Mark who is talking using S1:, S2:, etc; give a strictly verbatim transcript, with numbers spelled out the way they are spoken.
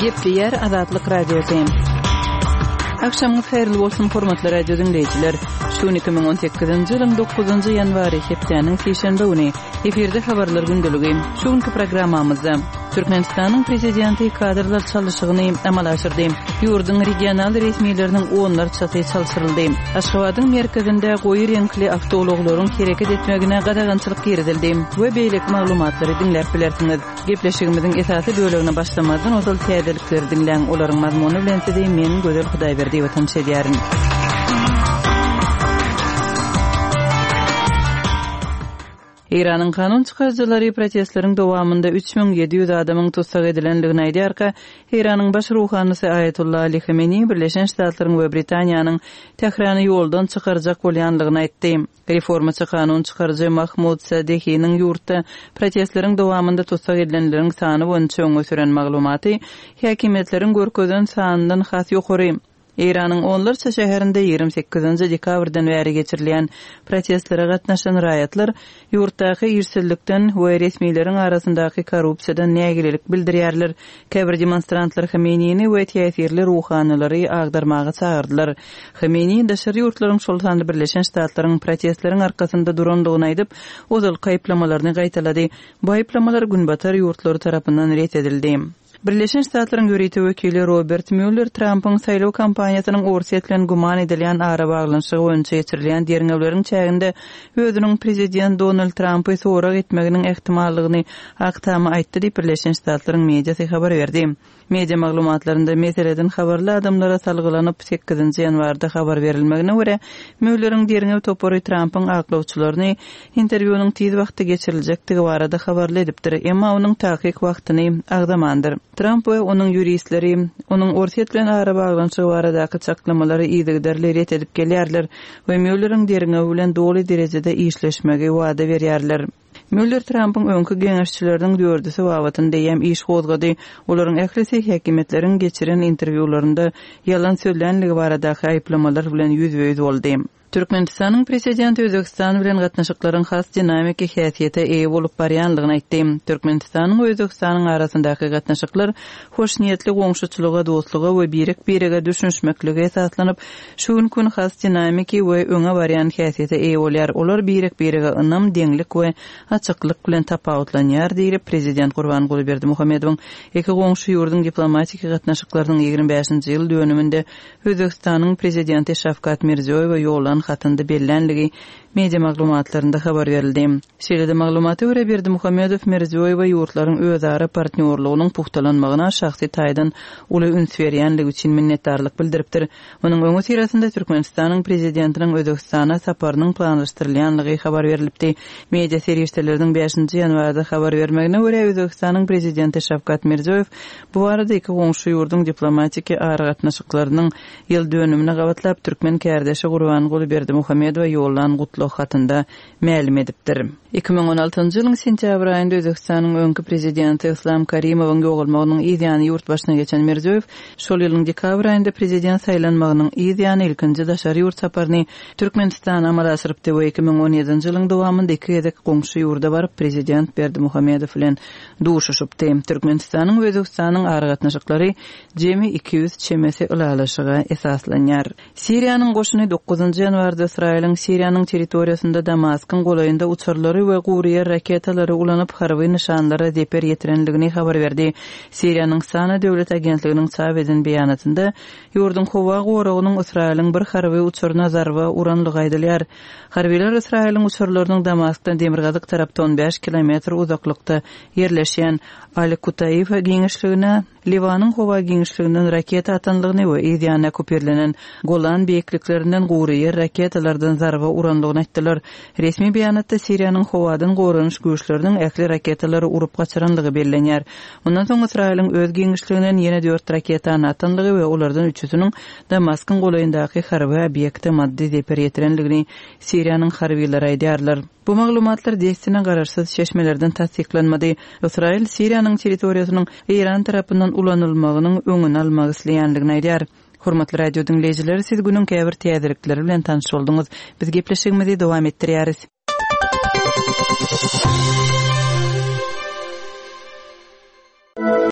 S1: Gepleýär Azatlyk Radiosy. Agşamyňyz haýyrly bolsun, hormatly radio diňleýjiler. Şu gün iki müň on sekizinji ýylyň dokuzynjy ýanwary, hepdäniň sişenbe güni. Efirde habarlar gündeligi. Şu günki programmamyzda Türkmenistanyň prezidenti kadrlar çalyşygyny amala aşyrdy. Ýurduň regional resmileriniň onlarçasy çalşyryldy. Aşgabadyň merkezinde goýy reňkli awtoulaglaryň hereket etmegine gadagançylyk girizildi we beýleki maglumatlary diňläp bilersiňiz. Gepleşigimiziň esasy bölegine başlamazdan ozal täzelikleri diňläň, olaryň mazmuny bilen sizi men Gözel Hudaýberdiýewa tanyş edýärin. Eýranyň kanun çykaryjylary protestleriň dowamynda üç müň ýedi ýüz adamyň tussag edilendigini aýdýarka, Eýranyň baş ruhanysy Aýatollah Ali Hameneýi Birleşen Ştatlaryň we Britaniýanyň Tährany ýoldan çykarjak bolýandygyny aýtdy. Reformaçy kanun çykaryjy Mahmud Sadehiniň ýurtda protestleriň dowamynda tussag edilenleriň sany boýunça öňe süren maglumaty häkimiýetleriň görkezen sanyndan has ýokary. Eýranyň onlarça şäherinde ýigrimi sekizinji dekabrdan bäri geçirilýän protestlere gatnaşan raýatlar ýurtdaky işsizlikden we resmileriň arasyndaky korrupsiýadan nägilelik bildirýärler. Käbir demonstrantlar Hameneýini we täsirli ruhanylary agdarmaga çagyrdylar. Hameneýi daşary ýurtlaryň, şol sanda Birleşen Ştatlaryň protestleriň arkasynda durandygyny aýdyp, ozalky aýyplamalaryny gaýtalady. Bu aýyplamalar Günbatar ýurtlary tarapyndan ret edildi. Birleşen Ştatlaryň ýörite wekili Robert Mueller Trampyň saýlaw kampaniýasynyň Orsýet bilen güman edilýän arabaglanyşygy boýunça geçirilýän derňewleriň çäginde özüniň prezident Donald Trampy sorag etmeginiň ähtimallygyny Ak Tama aýtdy diýip, Birleşen Ştatlaryň mediasy habar berdi. Media maglumatlarynda meseleden habarly adamlara salgylanyp, sekizinji ýanwarda habar berilmegine görä, Muelleriň derňew topary Trampyň aklawçylaryny interwýunyň tiz wagtda geçiriljekdigi barada habarly edipdir, emma onuň takyk wagtyny agzamandyr. Tramp we onuň ýuristleri onuň Orsýet bilen arabaglanyşygy baradaky çaklamalary yzygiderli ret edip gelýärler we Muelleriň derňewi bilen doly derejede işleşmegi wada berýärler. Mueller Trampyň öňki geňeşçileriniň dördüsi babatynda eýýäm iş gozgady. Olaryň ählisi häkimiýetleriň geçiren interwýularynda ýalan sözlänligi baradaky aýyplamalar bilen ýüzbe-ýüz boldy. Türkmenistanyň prezidenti Özbegistan bilen gatnaşyklaryň has dinamiki häsiýete eýe bolup barýanlygyny aýtdy. Türkmenistanyň we Özbegistanyň arasyndaky gatnaşyklar hoşniýetli goňşuçylyga, dostluga we birek-birege düşünişmeklige esaslanyp, şu günki gün has dinamiki we öňe barýan häsiýete eýe bolýar. Olar birek-birege ynam, deňlik we açyklyk bilen tapawutlanýar diýlip, prezident Gurbanguly Berdimuhamedowyň iki goňşy ýurduň diplomatiki gatnaşyklarynyň ýigrimi bäşinji ýyl dönüminde Özbegistanyň prezidenti Şawkat Mirziýoýewe ýollan hatynda bellänligi media maglumatlarynda habar berildi. Şeýle-de maglumata görä, Berdimuhamedow Mirziýoýewe ýurtlaryň özara partnýorlygynyň puhtalanmagyna şahsy taýdan uly üns berýänligi üçin minnetdarlyk bildiripdir. Munuň öňi syrasynda Türkmenistanyň prezidentiniň Özbegistana saparynyň planlaşdyrylýanlygy habar berilipdi. Media serişdeleriniň bäşinji ýanwarda habar bermegine görä, Özbegistanyň prezidenti Şawkat Mirziýoýew bu barada iki goňşy ýurduň diplomatiki aragatnaşyklarynyň ýyl dönümine gabatlap türkmen kärdeşi Gurbanguly Berdimuhamedowa ýollan gutlag hatynda mälim edipdir. Iki müň on altynjy ýylyň sentýabr aýynda Özbegistanyň öňki prezidenti Islam Karimowyň ýogalmagynyň yz ýany ýurt başyna geçen Mirziýoýew şol ýylyň dekabr aýynda prezident saýlanmagynyň yz ýany ilkinji daşary ýurt saparyny Türkmenistana amala aşyrypdy we iki müň on ýedinji ýylyň dowamynda iki gezek goňşy ýurda baryp prezident Berdimuhamedow bilen duşuşypdy. Türkmenistanyň we Özbegistanyň aragatnaşyklary jemi iki ýüz çemesi ylalaşyga esaslanýar. Siriýanyň goşuny dokuzynjy ýanwarda Ysraýylyň Siriýanyň territoriýasynda Damaskyň golaýynda uçarlary we gury ýer raketalary ulanyp harby nyşanlara zeper ýetirenligini habar berdi. Siriýanyň Sana döwlet agentliginiň çap eden beýanatynda ýurduň howa goragynyň Ysraýylyň bir harby uçaryna zarba uranlygy aýdylýar. Harbylar Ysraýylyň uçarlarynyň Damaskdan demirgazyk tarapda on bäş kilometr uzaklykda ýerleşýän Al-Kutaýfa giňişligine Liwanyň howa giňişliginden raketa atanlygyny we yz ýanyna okupirlenen Golan beýikliklerinden gury ýer raketalardan zarba uranlygyny aýtdylar. Resmi beýanatda Siriýanyň howadan goranyş güýçleriniň ähli raketalary urup gaçyranlygy bellenýär. Ondan soň Ysraýylyň öz giňişliginden ýene dört raketany atanlygy we olardan üçüsiniň Damaskyň golaýyndaky harby obýekte maddy zeper ýetirenligini Siriýanyň harbylary aýdýarlar. Bu maglumatlar dessine garaşsyz çeşmelerden tassyklanmady. Ysraýyl Siriýanyň territoriýasynyň Eýran tarapyndan ulanylmagynyň öňüni almak isleýänligini aýdýar. Hormatly radio diňleýjiler, siz günüň käbir täzelikleri bilen tanyş bolduňyz. Biz gepleşigimizi dowam etdirýäris.